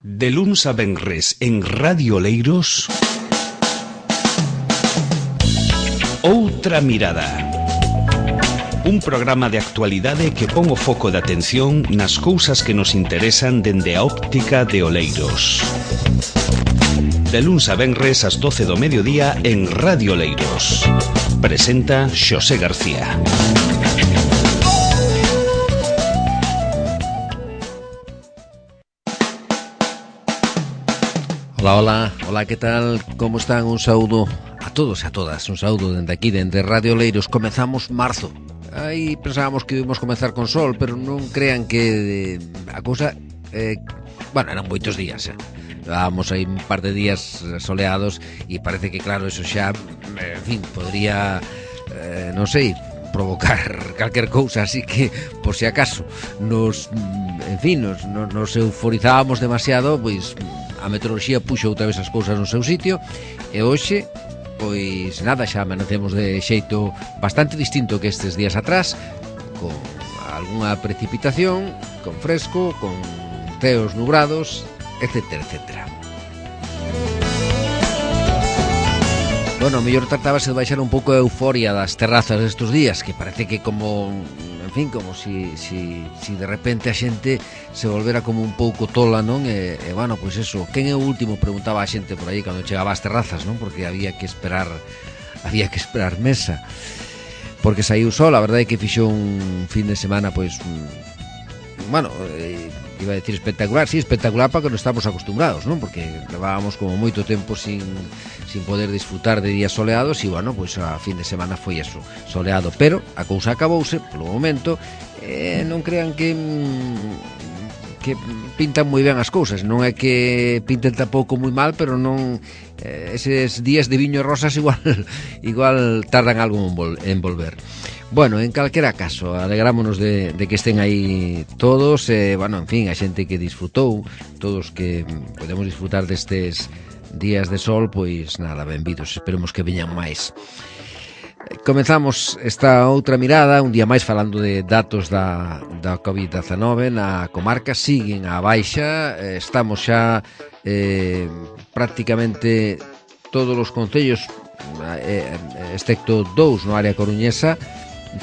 De luns a venres en Radio Oleiros, Outra Mirada. Un programa de actualidade que pon o foco de atención nas cousas que nos interesan dende a óptica de Oleiros. De luns a venres ás 12 do mediodía en Radio Oleiros. Presenta Xosé García. Hola, que tal? Como están? Un saúdo a todos e a todas. Un saúdo dende aquí, dende Radio Oleiros. Comezamos marzo. Aí pensábamos que íbamos comezar con sol, pero non crean que a cousa... eran moitos días, Llevábamos aí un par de días soleados e parece que, claro, eso xa, podría, non sei, provocar calquer cousa, así que, por si acaso, nos euforizábamos demasiado, pois a meteoroloxía puxo outra vez as cousas no seu sitio e hoxe, pois nada, xa amanecemos de xeito bastante distinto que estes días atrás, con algunha precipitación, con fresco, con ceos nubrados, etcétera, etcétera. Bueno, o mellor tratábase de baixar un pouco a euforia das terrazas estes días, que parece que como si de repente a xente se volvera como un pouco tola, non? Pois eso, quen é o último? Preguntaba a xente por aí cando chegaba ás terrazas, non? Porque había que esperar mesa. Porque saiu sol, a verdade é que fixo un fin de semana, pois, iba a decir espectacular, sí, espectacular para que non estamos acostumbrados, non? Porque levábamos como moito tempo sin poder disfrutar de días soleados e, pois a fin de semana foi eso, soleado, pero a cousa acabouse polo momento, non crean que pintan moi ben as cousas, non é que pinten tampouco moi mal, pero non eses días de viño e rosas igual tardan algo en volver. Bueno, en calquera caso, alegrámonos de que estén aí todos, a xente que disfrutou, todos que podemos disfrutar destes días de sol, pois nada, benvidos, esperemos que veñan máis. Comezamos esta outra mirada, un día máis falando de datos da COVID-19 na comarca, siguen á baixa, estamos xa prácticamente todos os concellos, excepto 2 no área coruñesa,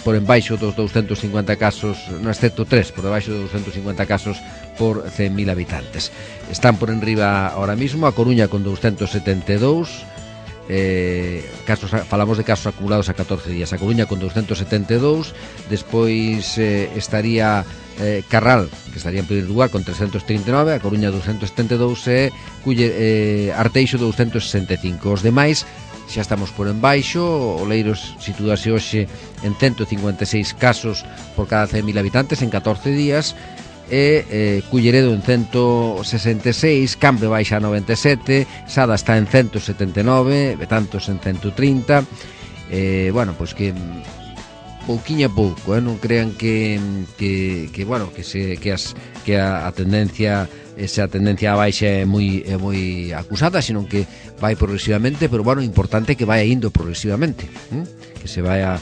por embaixo dos 250 casos, no excepto 3, por debaixo dos 250 casos por 100.000 habitantes. Están por enriba ahora mismo a Coruña con 272 casos, falamos de casos acumulados a 14 días. A Coruña con 272, despois estaría Carral, que estaría en primeiro lugar con 339, a Coruña 272 e Arteixo 265. Os demais xa estamos por embaixo. Oleiros situase hoxe en 156 casos por cada 100.000 habitantes en 14 días e Culleredo en 166, Cambre baixa a 97, Sada está en 179, Betanzos en 130. Pois que pouquiño a pouco, non crean que a tendencia, esa tendencia a baixa é moi acusada, senón que vai progresivamente, pero importante que vai indo progresivamente, que se vaya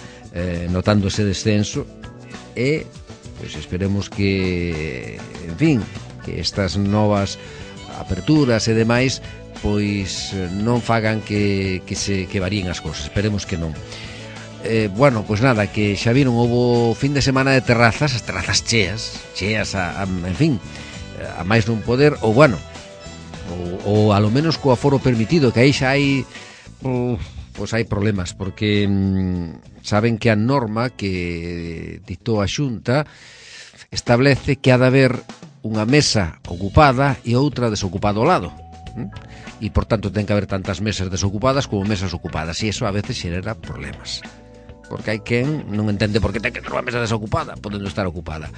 notando ese descenso e pois esperemos que, que estas novas aperturas e demais pois non fagan que varíen as cousas, esperemos que non. Pois nada, que xa viron, houbo fin de semana de terrazas, as terrazas cheas a máis non poder, ou a lo menos co aforo permitido, que aí xa hai hai problemas, porque saben que a norma que dictou a Xunta establece que ha de haber unha mesa ocupada e outra desocupada ao lado, e por tanto ten que haber tantas mesas desocupadas como mesas ocupadas, e eso a veces xera problemas, porque hai quen non entende por que ten que ter unha mesa desocupada podendo estar ocupada.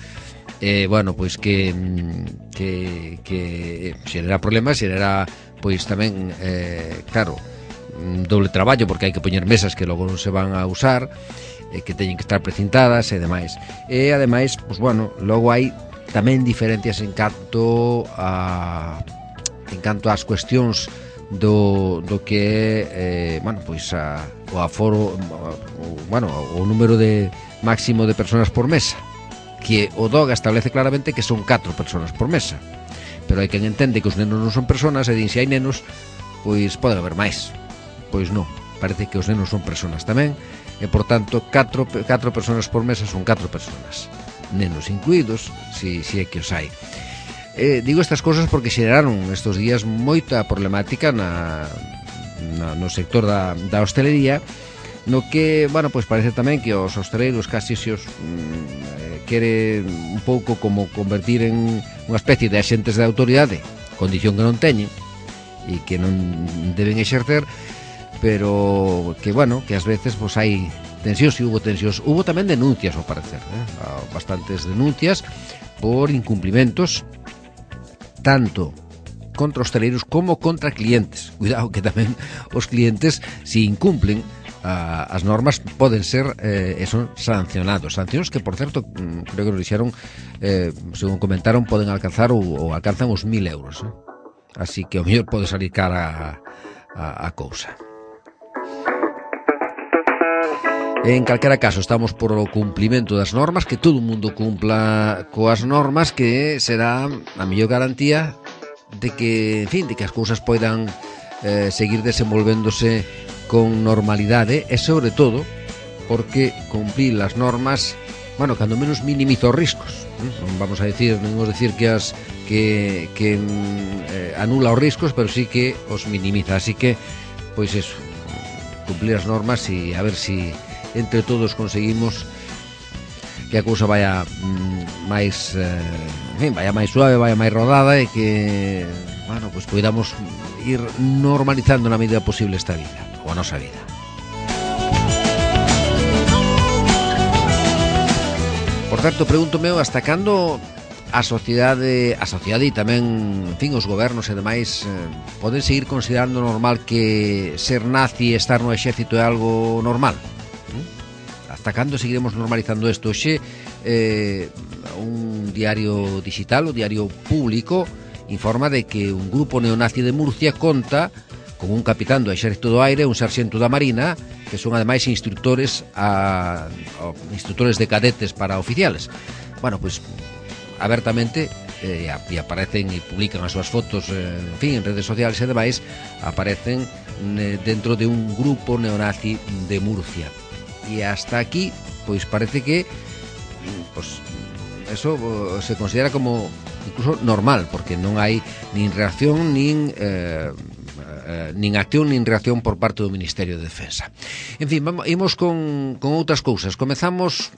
Pois que xera problemas, xera pois tamén, doble traballo, porque hai que poñer mesas que logo non se van a usar, que teñen que estar precintadas e demais. E ademais, logo hai tamén diferencias en canto ás cuestións do que é o aforo, o número de máximo de persoas por mesa, que o DOGA establece claramente que son 4 persoas por mesa. pero hai quen entende que os nenos non son personas e din, se hai nenos, pois pode haber máis. Pois non, parece que os nenos son personas tamén, e por tanto 4 personas por mesa son 4 personas, nenos incluídos, si é que os hai. Digo estas cosas porque xeraron estes días moita problemática no sector da hostelería, no que, bueno, pois parece tamén que os hosteleiros casi se os quere un pouco como convertir en unha especie de axentes de autoridade, condición que non teñen e que non deben exercer, pero que, bueno, que ás veces pois hai tensións, e hubo tensións, hubo tamén denuncias ao parecer, bastantes denuncias por incumplimentos tanto contra hosteleiros como contra clientes. Cuidado que tamén os clientes, se incumplen as normas, poden ser son sancionados, sancións que, por certo, creo que nos dixeron, según comentaron, poden alcanzar ou alcanzan os 1.000 euros, así que o mellor pode salir cara a cousa. En calquera caso, estamos por o cumplimento das normas, que todo o mundo cumpla coas normas, que será a mellor garantía de que, en fin, de que as cousas poidan seguir desenvolvéndose con normalidade, e sobre todo porque cumplir as normas, bueno, cando menos minimiza os riscos. Non vamos a decir, non vamos a decir que anula os riscos, pero sí que os minimiza. Así que, pois eso, cumplir as normas e a ver si entre todos conseguimos que a cousa vaya máis vaya máis suave, vaya máis rodada, e que, bueno, pois podamos ir normalizando na medida posible esta vida, ou a nosa vida. Por certo, pregúntome hasta cando a sociedade e tamén, en fin, os gobernos e demais poden seguir considerando normal que ser nazi e estar no exército é algo normal. Hasta cando seguiremos normalizando isto? Hoxe un diario digital, o Diario Público, informa de que un grupo neonazi de Murcia conta con un capitán do exército do aire, un sarxento da marina, que son ademais instructores de cadetes para oficiales. Bueno, pois abertamente e aparecen e publican as súas fotos, en fin, en redes sociales e demais, aparecen dentro de un grupo neonazi de Murcia. E hasta aquí, pois parece que pois eso se considera como incluso normal, porque non hai nin reacción nin acción nin reacción por parte do Ministerio de Defensa. En fin, imos con outras cousas. Comezamos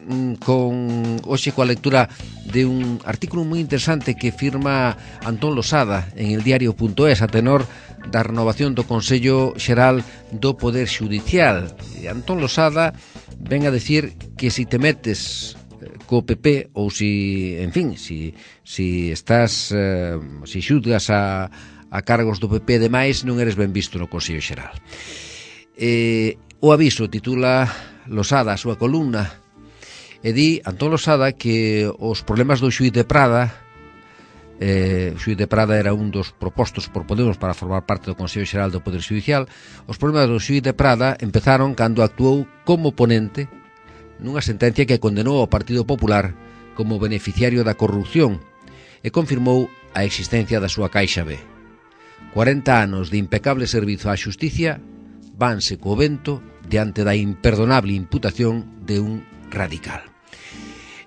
hoxe coa lectura de un artículo moi interesante que firma Antón Losada en el diario.es a tenor da renovación do Consello Xeral do Poder Xudicial. E Antón Losada ven a decir que si te metes co PP, ou si, en fin, si estás si xudgas a cargos do PP e demais, non eres ben visto no Consello Xeral. O aviso titula Losada a súa columna, e di Antón Losada que os problemas do xuíz de Prada, o xuíz de Prada era un dos propostos por Podemos para formar parte do Consello Xeral do Poder Xudicial, os problemas do xuíz de Prada empezaron cando actuou como ponente nunha sentencia que condenou ao Partido Popular como beneficiario da corrupción e confirmou a existencia da súa Caixa B. 40 anos de impecable servizo á xusticia vanse co vento diante da imperdonable imputación de un radical.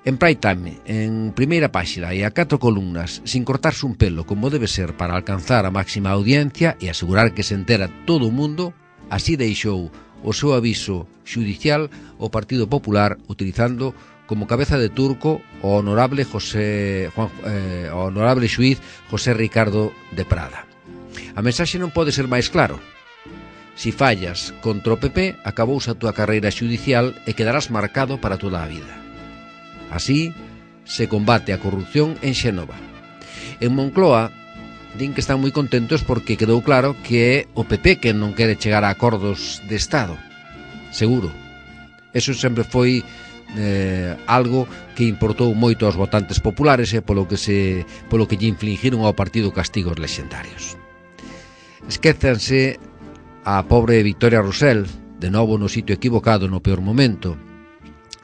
En Prime Time, en primeira páxina e a 4 columnas, sin cortarse un pelo como debe ser para alcanzar a máxima audiencia e asegurar que se entera todo o mundo, así deixou o seu aviso xudicial o Partido Popular, utilizando como cabeza de turco o honorable xuíz José Ricardo de Prada. A mensaxe non pode ser máis claro. Si fallas contra o PP, acabouse a túa carreira xudicial e quedarás marcado para toda a vida. Así se combate a corrupción en Xénova. En Moncloa din que están moi contentos porque quedou claro que é o PP que non quere chegar a acordos de Estado. Seguro. Eso sempre foi algo que importou moito aos votantes populares e polo que lle infligiron ao partido castigos lexendarios. Esquézanse a pobre Victoria Rosell, de novo no sitio equivocado no peor momento.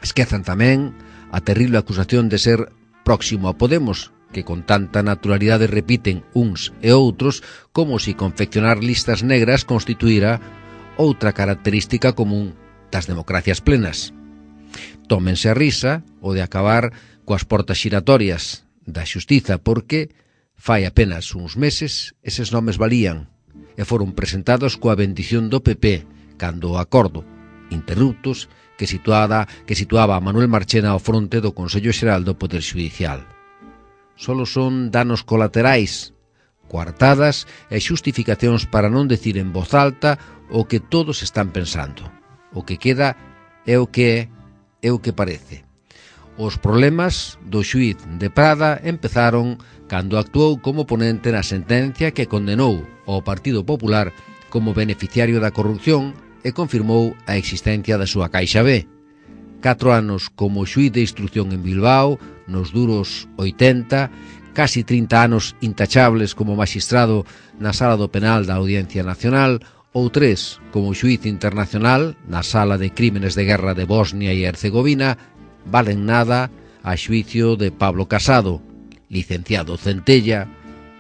Esquezan tamén a terrible acusación de ser próximo a Podemos, que con tanta naturalidade repiten uns e outros como se confeccionar listas negras constituíra outra característica común das democracias plenas. Tómense a risa o de acabar coas portas xiratorias da xustiza, porque fai apenas uns meses eses nomes valían e foron presentados coa bendición do PP cando o acordo interruptos que situaba a Manuel Marchena ao fronte do Consello Xeral do Poder Xudicial. Solo son danos colaterais, coartadas e xustificacións para non decir en voz alta o que todos están pensando. O que queda é o que parece. Os problemas do xuíz de Prada empezaron cando actuou como ponente na sentencia que condenou ao Partido Popular como beneficiario da corrupción e confirmou a existencia da súa Caixa B. 4 anos como xuíz de instrucción en Bilbao, nos duros 80, casi 30 anos intachables como magistrado na Sala do Penal da Audiencia Nacional, ou 3 como xuíz internacional na Sala de Crímenes de Guerra de Bosnia e Herzegovina, valen nada a xuicio de Pablo Casado, licenciado Centella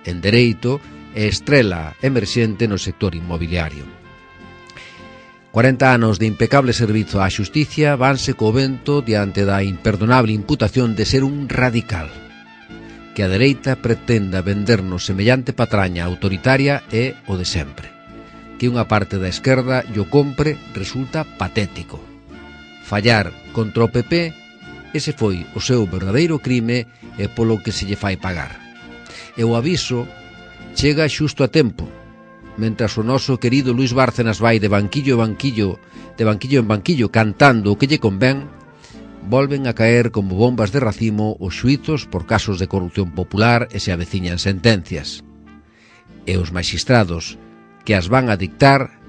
en Dereito e estrela emerxente no sector inmobiliario. 40 anos de impecable servizo á xusticia vanse co vento diante da imperdonable imputación de ser un radical. Que a dereita pretenda vendernos semellante patraña autoritaria é o de sempre. Que unha parte da esquerda llo compre resulta patético. Fallar contra o PP, ese foi o seu verdadeiro crime e polo que se lle fai pagar. E o aviso chega xusto a tempo, mentras o noso querido Luis Bárcenas vai de banquillo en banquillo cantando o que lle convén, volven a caer como bombas de racimo os xuizos por casos de corrupción popular e se aveciñan sentencias. E os magistrados que as van a dictar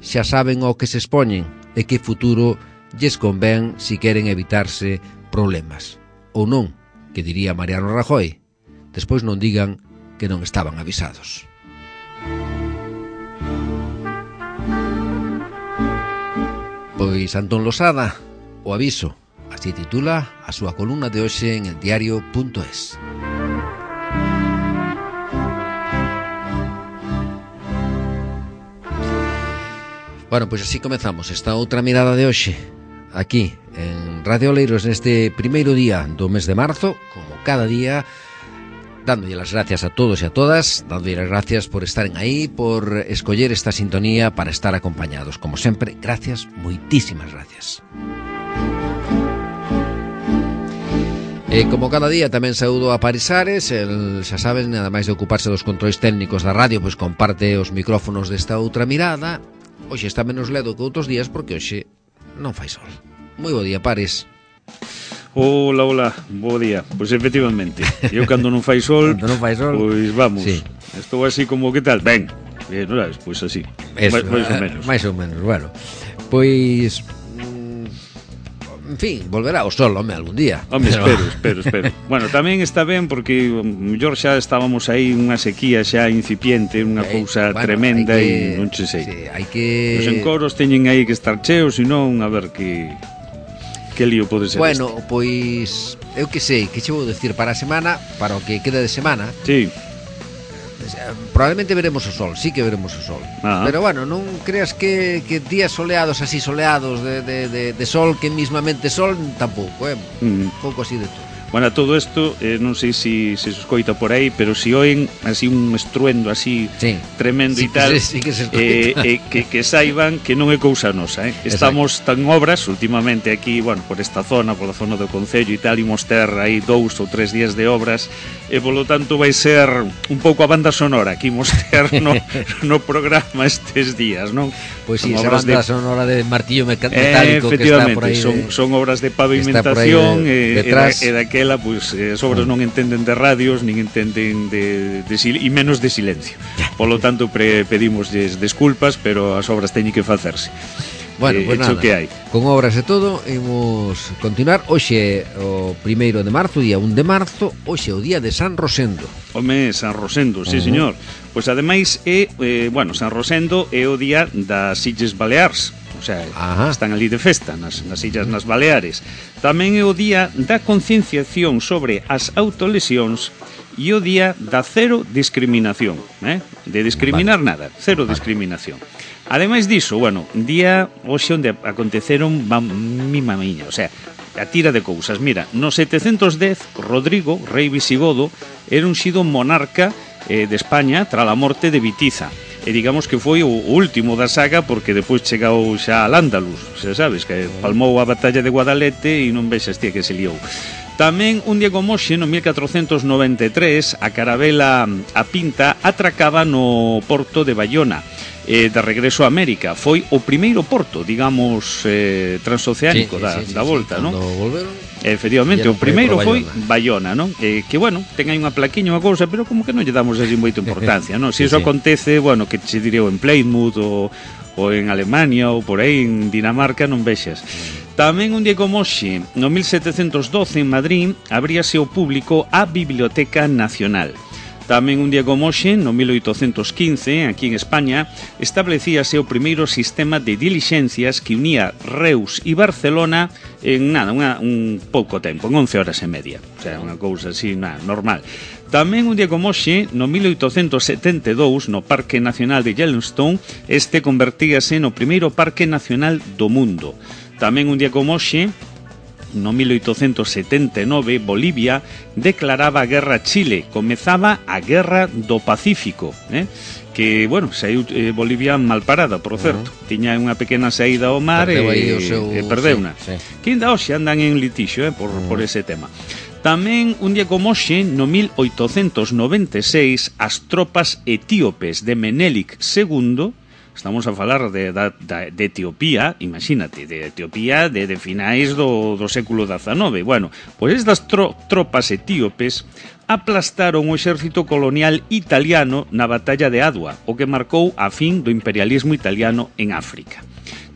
xa saben ao que se expoñen e que futuro lles convén si queren evitarse problemas. Ou non, que diría Mariano Rajoy, despois non digan que non estaban avisados. Pois Antón Losada, o aviso, así titula a súa columna de hoxe en eldiario.es. Bueno, pois así comezamos esta outra mirada de hoxe, aquí en Radio Oleiros, neste primeiro día do mes de marzo, como cada día, dándolle las gracias a todos e a todas, dándolle las gracias por estaren aí, por escoller esta sintonía para estar acompañados. Como sempre, gracias, moitísimas gracias. E como cada día tamén saúdo a Parisares, el, xa saben, nada máis de ocuparse dos controis técnicos da radio, pois comparte os micrófonos desta outra mirada. Hoxe está menos ledo que outros días porque hoxe non fai sol. Moi bo día, Pares. Hola, bo día. Pois efectivamente, eu cando non fai sol, pois vamos, sí. Estou así como, que tal? Ben, non sabes, pois así, máis ou menos, bueno. Pois, en fin, volverá o sol, home, algún día. Home, pero... espero. Bueno, tamén está ben porque mellor xa estábamos aí unha sequía xa incipiente, unha cousa tremenda e non che sei. Sí, hai que... Os encoros teñen aí que estar cheos, senón, a ver que lío pode ser. Bueno, pois eu que sei, que che vou decir para a semana, para o que queda de semana. Sí. Probablemente veremos o sol, sí que veremos o sol. Pero bueno, non creas que días soleados, así soleados de sol, que mismamente sol, tampouco, pouco así de todo. Bueno, todo isto, non sei se se escoita por aí, pero se oen así un estruendo así tremendo e tal, que saiban que non é cousa nosa, Estamos tan obras últimamente aquí, bueno, por esta zona, pola zona do Concello e tal, imos ter aí 2 ou 3 días de obras e polo tanto vai ser un pouco a banda sonora que imos ter no programa estes días, non? Pois si, esa banda sonora de martillo metálico que está por aí. Son obras de pavimentación e daquela, pois, as obras non entenden de radios, nin entenden e menos de silencio. Polo tanto, pedimosles desculpas, pero as obras teñen que facerse. Bueno, pues nada, que hai. Con obras e todo, imos continuar. Hoxe o 1 de marzo, día 1 de marzo, hoxe o día de San Rosendo. Home, San Rosendo, sí, señor. Pois ademais é, San Rosendo é o día das Illes Baleares. O sea, están ali de festa nas illas, nas Baleares. Tamén é o día da concienciación sobre as autolesións e o día da cero discriminación, de discriminar nada, cero discriminación. Ademais diso, bueno, día hoxe onde aconteceron mima miña, o sea, a tira de cousas. Mira, no 710, Rodrigo, rei visigodo, era unxido monarca de España tras a morte de Vitiza. E digamos que foi o último da saga, porque depois chegou xa al Ándalus, xa sabes, que palmou a batalla de Guadalete e non vexas tía que se liou. Tamén un día como hoxe, no 1493, a carabela A Pinta atracaba no porto de Bayona, de regreso a América. Foi o primeiro porto, digamos, transoceánico da volta, non? Efectivamente, o primeiro foi Bayona, non? Que, bueno, ten aí unha plaquiña, unha cousa, pero como que non lle damos así moita importancia, non? Se iso acontece, bueno, que se diría en Plymouth ou en Alemania ou por aí en Dinamarca, non vexas. Tamén un día como hoxe, no 1712 en Madrid, abríase ao público a Biblioteca Nacional. Tamén un día como hoxe, no 1815, aquí en España, establecíase o primeiro sistema de dilixencias que unía Reus e Barcelona en nada, un pouco tempo, en 11 horas e media. O sea, unha cousa así, normal. Tamén un día como hoxe, no 1872, no Parque Nacional de Yellowstone, este convertíase no primeiro parque nacional do mundo. Tamén un día como hoxe, no 1879, Bolivia declaraba a guerra a Chile, comezaba a Guerra do Pacífico, que, bueno, saiu Bolivia mal parada, por certo. Tiña unha pequena saída ao mar e perdeuna. Que ainda hoxe andan en litixio por ese tema. Tamén un día como hoxe, no 1896, as tropas etíopes de Menelik II, estamos a falar de Etiopía, imagínate, de Etiopía de finais do século XIX. Bueno, pois estas tropas etíopes aplastaron o exército colonial italiano na batalla de Adwa, o que marcou a fin do imperialismo italiano en África.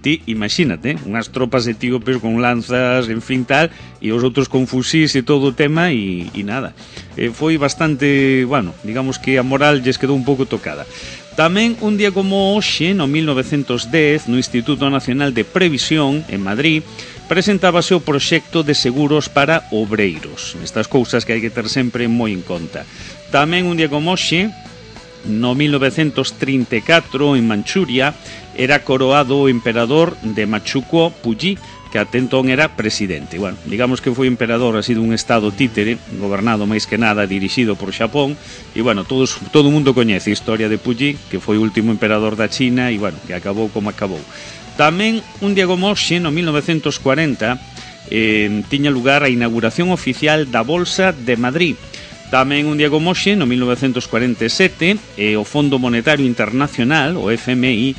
Ti, imagínate, unhas tropas etíopes con lanzas, en fin tal, e os outros con fusís e todo o tema e nada. Foi bastante, bueno, digamos que a moral lles quedou un pouco tocada. Tamén un día como hoxe, no 1910, no Instituto Nacional de Previsión, en Madrid, presentábase o proxecto de seguros para obreiros. Estas cousas que hai que ter sempre moi en conta. Tamén un día como hoxe, no 1934, en Manchuria, era coroado o emperador de Machukuo Puyi, que até entón era presidente. Bueno, digamos que foi emperador así dun estado títere, gobernado máis que nada, dirixido por Xapón, e bueno, todo o mundo coñece a historia de Puyi, que foi o último emperador da China, e bueno, que acabou como acabou. Tamén, un día como hoxe, no 1940, tiña lugar a inauguración oficial da Bolsa de Madrid. Tamén un día como hoxe, no 1947, o Fondo Monetario Internacional, o FMI,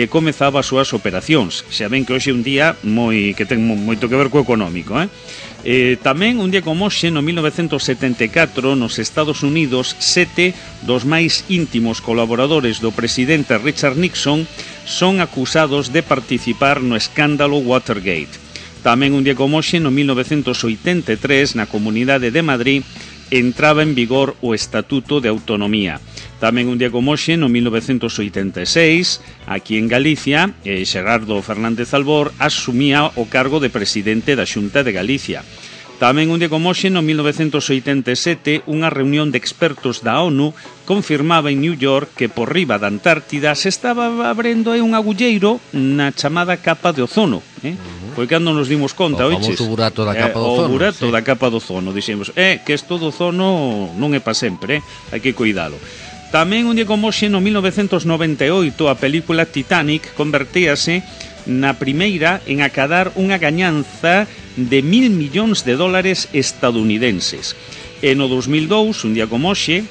comezaba as súas operacións. Xa ven que hoxe é un día que ten moito que ver co económico. Tamén un día como hoxe, no 1974, nos Estados Unidos, 7 dos máis íntimos colaboradores do presidente Richard Nixon son acusados de participar no escándalo Watergate. Tamén un día como hoxe, no 1983, na Comunidade de Madrid, entraba en vigor o Estatuto de Autonomía. Tamén un día como hoxe, no 1986, aquí en Galicia, Xerardo Fernández Albor asumía o cargo de presidente da Xunta de Galicia. Tamén un día como hoxe, no 1987, unha reunión de expertos da ONU confirmaba en New York que por riba da Antártida se estaba abrindo un agulleiro na chamada capa de ozono. Foi cando nos dimos conta, oiches? O famoso burato da capa do ozono. O burato da capa do ozono, dixemos, que isto do ozono non é pa sempre, hai que cuidalo. Tamén un día como hoxe, no 1998, a película Titanic convertíase na primeira en acadar unha gañanza de $1.000 millóns estadounidenses. E no 2002, un día como hoxe,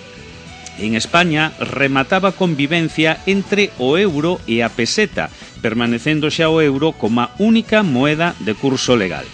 en España remataba a convivencia entre o euro e a peseta, permanecendo xa o euro como a única moeda de curso legal.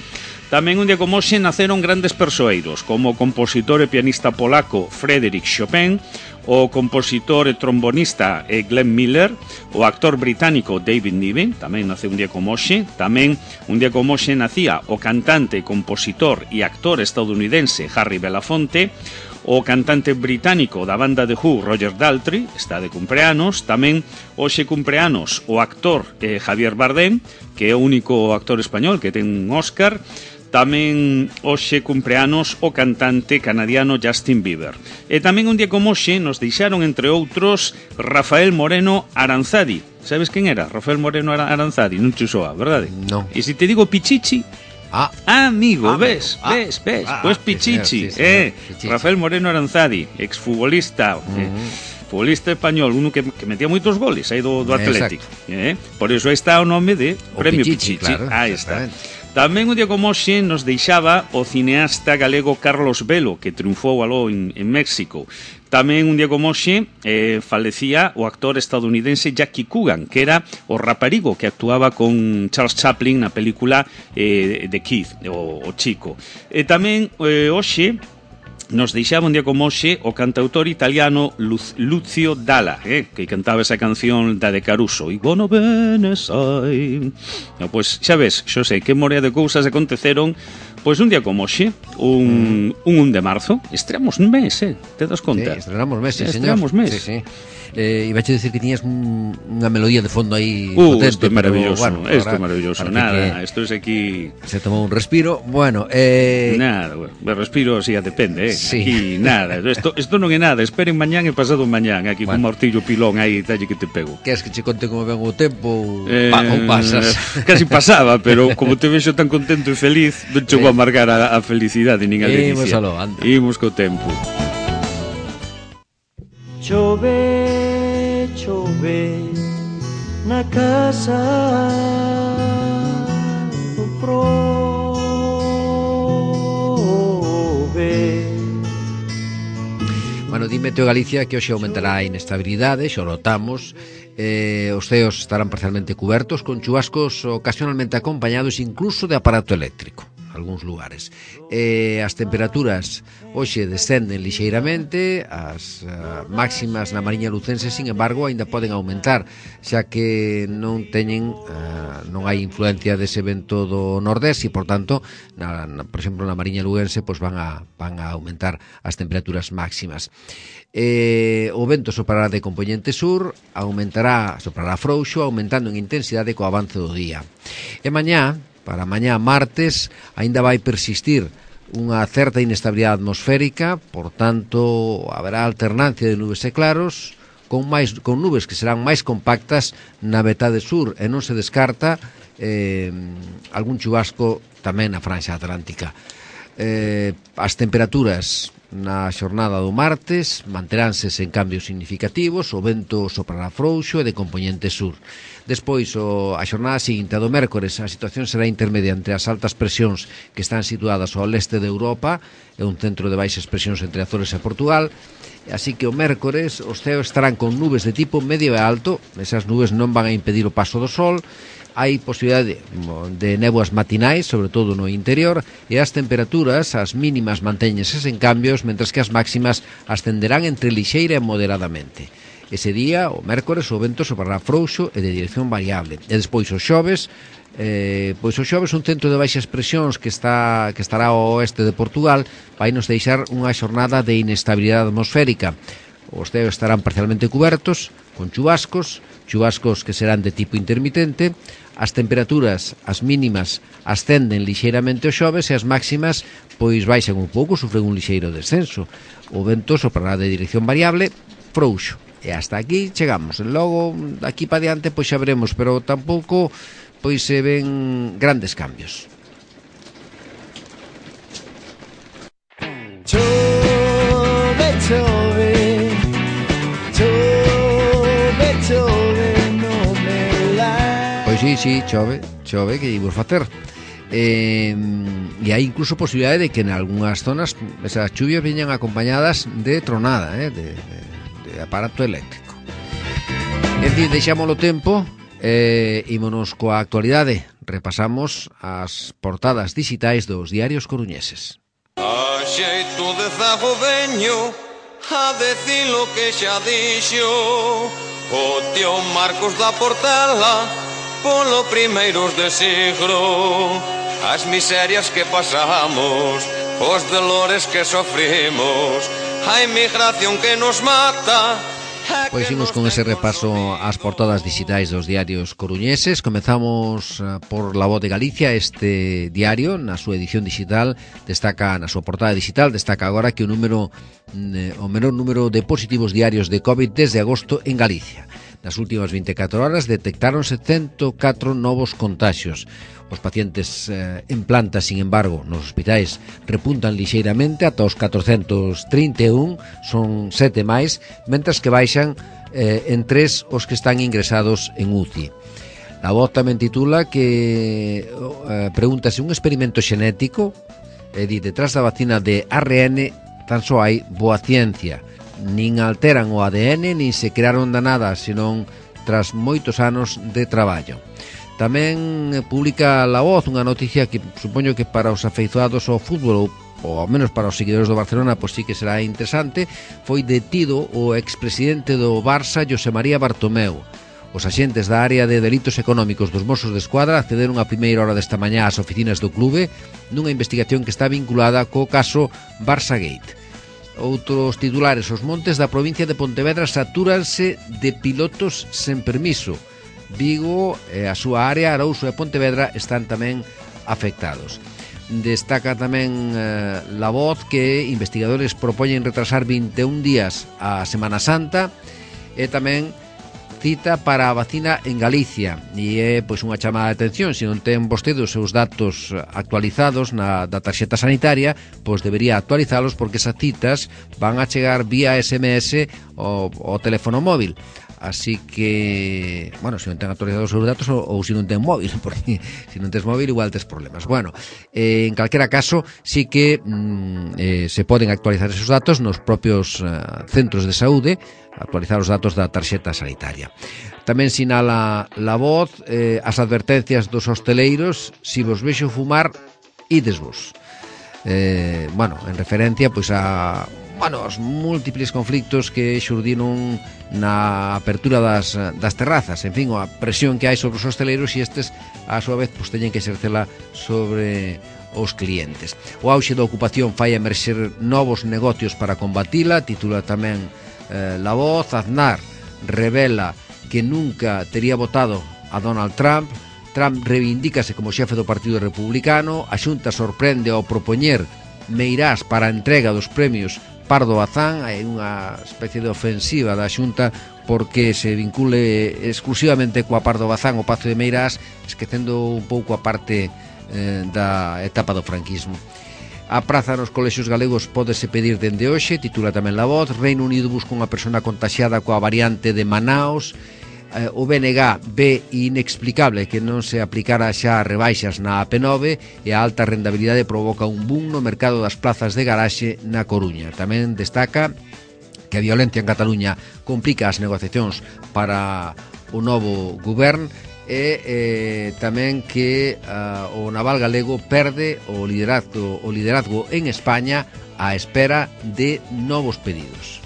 Tamén un día como hoxe naceron grandes persoeiros, como o compositor e pianista polaco Frédéric Chopin, o compositor e trombonista Glenn Miller, o actor británico David Niven, tamén nace un día como hoxe. Tamén un día como hoxe nacía o cantante, compositor e actor estadounidense Harry Belafonte, o cantante británico da banda The Who, Roger Daltrey, está de cumpleanos. Tamén hoxe cumpleanos o actor Javier Bardem, que é o único actor español que ten un Óscar. Tamén hoxe cumpleanos o cantante canadiano Justin Bieber. E tamén un día como hoxe nos deixaron, entre outros, Rafael Moreno Aranzadi. Sabes quen era? Rafael Moreno Aranzadi, non te soa, verdade? Non. E se te digo Pichichi... amigo, ves. Pois Pichichi, Pichichi. Rafael Moreno Aranzadi, exfutbolista, futbolista español, uno que metía moitos goles aí do Atlético. Por iso aí está o nome de Premio Pichichi. Claro, aí está. Tamén un día como hoxe nos deixaba o cineasta galego Carlos Velo, que triunfou aló en México. Tamén un día como hoxe falecía o actor estadounidense Jackie Coogan, que era o raparigo que actuaba con Charles Chaplin na película de Keith, o Chico. E tamén hoxe nos deixaba un día como hoxe o cantautor italiano Lucio Dalla, que cantaba esa canción da de Caruso, I wanna bene sai. Pois xa ves, Xosé, que morea de cousas aconteceron. Pois un día como hoxe, un 1 de marzo, estreamos un mes, te das conta? Sí, estrenamos mes, sí, señor. Estrenamos mes. Sí. Ibache dicir que tiñas unha melodía de fondo aí potente. Isto é maravilloso, isto é maravilloso. Nada, isto é aquí... Se tomou un respiro, bueno... Nada, respiro, si, depende, sí. Aquí, nada, isto non é nada, esperen mañán e pasado mañán, aquí con martillo pilón aí, talle que te pego. Queres que che conte como ven o tempo ou pasas? Casi pasaba, pero como te vexo tan contento e feliz, non chegou a marcar a felicidade nin a delicia. Imos co tempo. Chove, chove na casa do prove. Bueno, dime Teo Galicia que hoxe aumentará a inestabilidade, xa o notamos. Os ceos estarán parcialmente cubertos con chubascos ocasionalmente acompañados incluso de aparato eléctrico algúns lugares. As temperaturas hoxe descenden lixeiramente, as máximas na Mariña Lucense, sin embargo, aínda poden aumentar, xa que non hai influencia dese vento do nordés e, por tanto, por exemplo, na Mariña Luense, pois van a aumentar as temperaturas máximas. O vento soprará de compoñente sur, soprará frouxo, aumentando en intensidade co avance do día. E mañá, para mañá martes, aínda vai persistir unha certa inestabilidade atmosférica, por tanto, haberá alternancia de nubes e claros, con nubes que serán máis compactas na metade sur, e non se descarta algún chubasco tamén na franxa atlántica. As temperaturas na xornada do martes manteránse sen cambios significativos, o vento soprará frouxo e de compoñente sur. Despois, a xornada seguinte, a do mércores, a situación será intermedia entre as altas presións que están situadas ao leste de Europa e un centro de baixas presións entre Azores e Portugal. Así que o mércores os ceos estarán con nubes de tipo medio e alto, esas nubes non van a impedir o paso do sol, hai posibilidade de néboas matinais, sobre todo no interior, e as temperaturas, as mínimas mantéñense sen cambios, mentras que as máximas ascenderán entre lixeira e moderadamente. Ese día, o mércores, o vento soprará frouxo e de dirección variable. E despois o xoves, un centro de baixas presións que estará ao oeste de Portugal vai nos deixar unha xornada de inestabilidade atmosférica. Os ceos estarán parcialmente cubertos, con chubascos que serán de tipo intermitente. As temperaturas, as mínimas, ascenden lixeiramente o xoves e as máximas pois baixan un pouco, sufren un lixeiro descenso. O vento soprará de dirección variable, frouxo. E hasta aquí chegamos. Logo, aquí para diante, pois xa veremos, pero tampouco pois se ven grandes cambios. Chove, chove, chove, chove, non me la... Pois sí, chove, que imos facer. E hai incluso posibilidade de que en algunhas zonas esas chuvias veñan acompañadas de tronada, de aparato eléctrico. En fin, deixámoslo tempo, ímonos coa actualidade. Repasamos as portadas digitais dos diarios coruñeses. A xeito de zago veño a decir lo que xa dixo o tío Marcos da Portela polo primeiros de siglo. As miserias que pasamos, os dolores que sofrimos, a inmigración que nos mata. Pois imos con ese repaso ás portadas digitais dos diarios coruñeses. Comezamos por La Voz de Galicia. Este diario, na súa edición digital, destaca, na súa portada digital, destaca agora que o menor número de positivos diarios de COVID desde agosto en Galicia. Nas últimas 24 horas detectáronse 104 novos contaxios. Os pacientes en planta, sin embargo, nos hospitais repuntan lixeiramente ata os 431, son 7 máis, mentras que baixan en 3 os que están ingresados en UCI. A Voz tamén titula que pregúntase un experimento xenético, detrás da vacina de ARN tan só hai boa ciencia. Nin alteran o ADN, nin se crearon da nada, senón tras moitos anos de traballo. Tamén publica La Voz unha noticia que supoño que para os afeizoados ao fútbol ou ao menos para os seguidores do Barcelona pois sí que será interesante. Foi detido o expresidente do Barça, José María Bartomeu. Os axentes da área de delitos económicos dos Mossos de Escuadra accederon a primeira hora desta mañá ás oficinas do clube nunha investigación que está vinculada co caso Barçagate. Outros titulares: os montes da provincia de Pontevedra satúranse de pilotos sen permiso. Vigo e a súa área, Arouso e Pontevedra, están tamén afectados. Destaca tamén La Voz que investigadores propoñen retrasar 21 días a Semana Santa e tamén cita para a vacina en Galicia, e é pois unha chamada de atención. Se non ten vostede os seus datos actualizados da tarxeta sanitaria, pois debería actualizalos, porque esas citas van a chegar vía SMS ao teléfono móvil. Así que, bueno, se non ten actualizados os seus datos ou se non ten móvil, porque se non tes móvil igual tes problemas. Bueno, en calquera caso, sí que se poden actualizar esos datos nos propios centros de saúde, actualizar os datos da tarxeta sanitaria. Tamén sinala La Voz as advertencias dos hosteleiros: si vos vexo fumar, idesvos. Bueno, en referencia pois a os múltiples conflictos que xurdiron na apertura das terrazas, en fin, a presión que hai sobre os hosteleiros, e estes a súa vez pois teñen que exercela sobre os clientes. O auxe da ocupación fai emerxer novos negocios para combatila, titula tamén La Voz. Aznar revela que nunca tería votado a Donald Trump. Trump reivindícase como xefe do Partido Republicano. A Xunta sorprende ao propoñer Meirás para a entrega dos premios Pardo Bazán. Hai unha especie de ofensiva da Xunta porque se vincule exclusivamente coa Pardo Bazán o Pazo de Meirás, esquecendo un pouco a parte da etapa do franquismo. A praza nos colexios galegos pódese pedir dende hoxe, titula tamén La Voz. Reino Unido busca unha persona contaxiada coa variante de Manaus. O BNG ve inexplicable que non se aplicara xa rebaixas na AP9, e a alta rentabilidade provoca un boom no mercado das plazas de garaxe na Coruña. Tamén destaca que a violencia en Cataluña complica as negociacións para o novo govern, e tamén que o naval galego perde o liderazgo en España á espera de novos pedidos.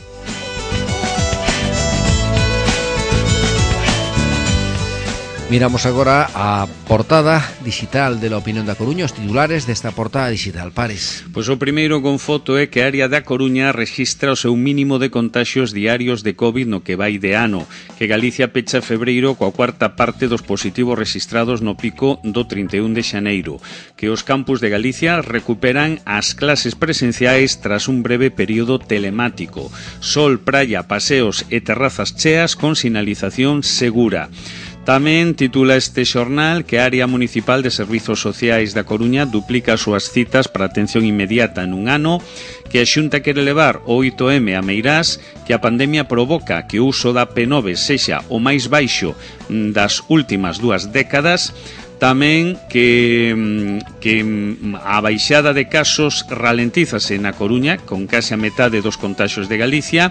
Miramos agora a portada digital de La Opinión da Coruña, os titulares desta portada digital. Pares. Pois o primeiro con foto é que a área da Coruña rexistra o seu mínimo de contaxios diarios de COVID no que vai de ano, que Galicia pecha febreiro coa cuarta parte dos positivos rexistrados no pico do 31 de xaneiro, que os campus de Galicia recuperan as clases presenciais tras un breve período telemático. Sol, praia, paseos e terrazas cheas con sinalización segura. Tamén titula este xornal que a área municipal de servizos sociais da Coruña duplica as súas citas para atención inmediata nun ano, que a Xunta quere levar o 8M a Meirás, que a pandemia provoca que o uso da P9 sexa o máis baixo das últimas 2 décadas. Tamén que a baixada de casos ralentízase na Coruña, con case a metade dos contaxios de Galicia.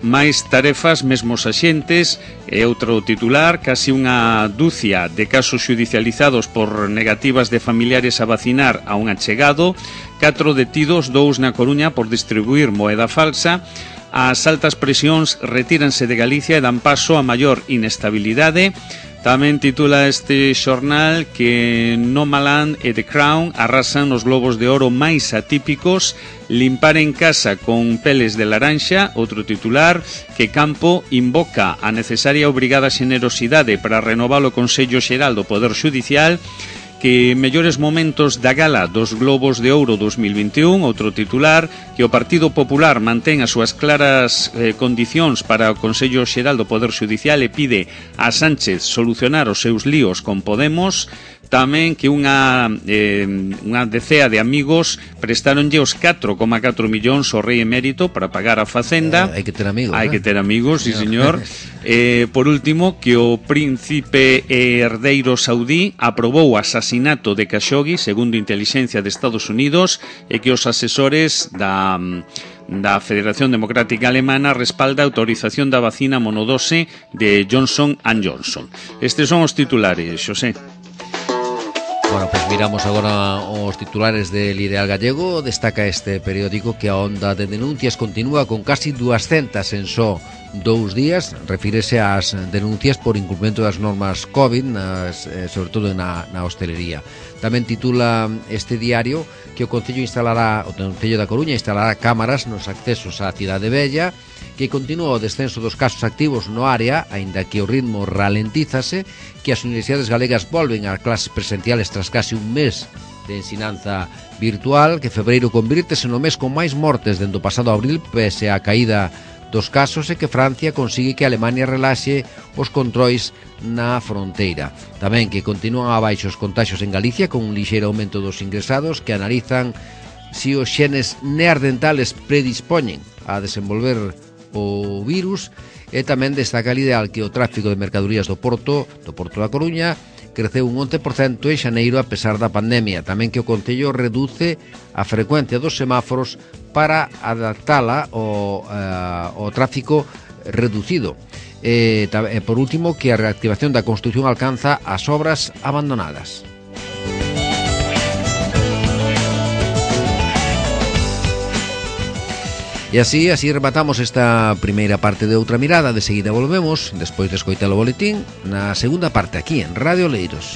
Máis tarefas, mesmos axentes, e outro titular, casi unha dúcia de casos xudicializados por negativas de familiares a vacinar a un achegado, 4 detidos, 2 na Coruña por distribuir moeda falsa. As altas presións retíranse de Galicia e dan paso a maior inestabilidade. Tamén titula este xornal que Nomadland e The Crown arrasan nos globos de oro máis atípicos. Limpar en casa con peles de laranxa, outro titular, que Campo invoca a necesaria e obrigada xenerosidade para renovar o Consello Xeral do Poder Xudicial, que mellores momentos da gala dos Globos de Ouro 2021, outro titular, que o Partido Popular mantén as súas claras condicións para o Consello Xeral do Poder Xudicial e pide a Sánchez solucionar os seus líos con Podemos. Tamén que unha decea de amigos prestaronlle os 4,4 millóns ao rei emérito para pagar a Facenda. Hai que ter amigos. Hai que ter amigos, sí, señor. Por último, que o príncipe herdeiro saudí aprobou o asasinato de Khashoggi, segundo Intelixencia de Estados Unidos, e que os asesores da Federación Democrática Alemana respalda a autorización da vacina monodose de Johnson & Johnson. Estes son os titulares, Xosé. Bueno, pues miramos agora os titulares del Ideal Gallego. Destaca este periódico que a onda de denuncias continúa con casi 200 en só 2 días. Refírese ás denuncias por incumprimento das normas COVID, sobre todo na hostelería. Tamén titula este diario que o Concello da Coruña instalará cámaras nos accesos á Cidade Vella, que continúa o descenso dos casos activos no área, aínda que o ritmo ralentízase, que as universidades galegas volven a clases presenciales tras casi un mes de ensinanza virtual, que febreiro convírtese no mes con máis mortes dende o pasado abril, pese á caída dos casos, e que Francia consigue que Alemania relaxe os controis na fronteira. Tamén que continúan abaixo os contaxios en Galicia, con un lixeiro aumento dos ingresados, que analizan si os xenes neandertales predispoñen a desenvolver o virus. E tamén destaca el Ideal que o tráfico de mercadorías do Porto da Coruña creceu un 11% en xaneiro a pesar da pandemia. Tamén que o Concello reduce a frecuencia dos semáforos para adaptala ao tráfico reducido. E por último, que a reactivación da construción alcanza as obras abandonadas. E así rematamos esta primeira parte de Outra Mirada. De seguida volvemos, despois de escoitar o boletín, na segunda parte aquí en Radio Oleiros.